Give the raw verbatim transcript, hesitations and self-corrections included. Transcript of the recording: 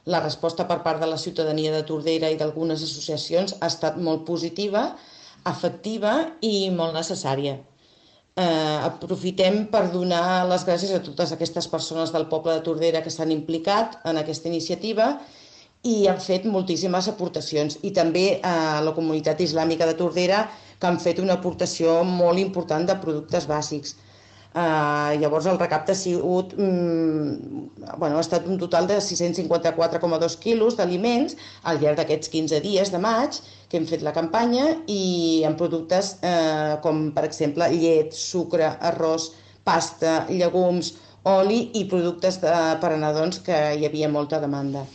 la resposta per part de la ciutadania de Tordera i d'algunes associacions ha estat molt positiva, efectiva i molt necessària. Eh, aprofitem per donar les gràcies a totes aquestes persones del poble de Tordera que s'han implicat en aquesta iniciativa i han fet moltíssimes aportacions, i també a la comunitat islàmica de Tordera, que han fet una aportació molt important de productes bàsics. Uh, llavors el recapte ha sigut mm, bueno, ha estat un total de sis-cents cinquanta-quatre coma dos quilos d'aliments al llarg d'aquests quinze dies de maig que hem fet la campanya, i en productes eh, com per exemple llet, sucre, arròs, pasta, llegums, oli i productes de, per a nadons, que hi havia molta demanda.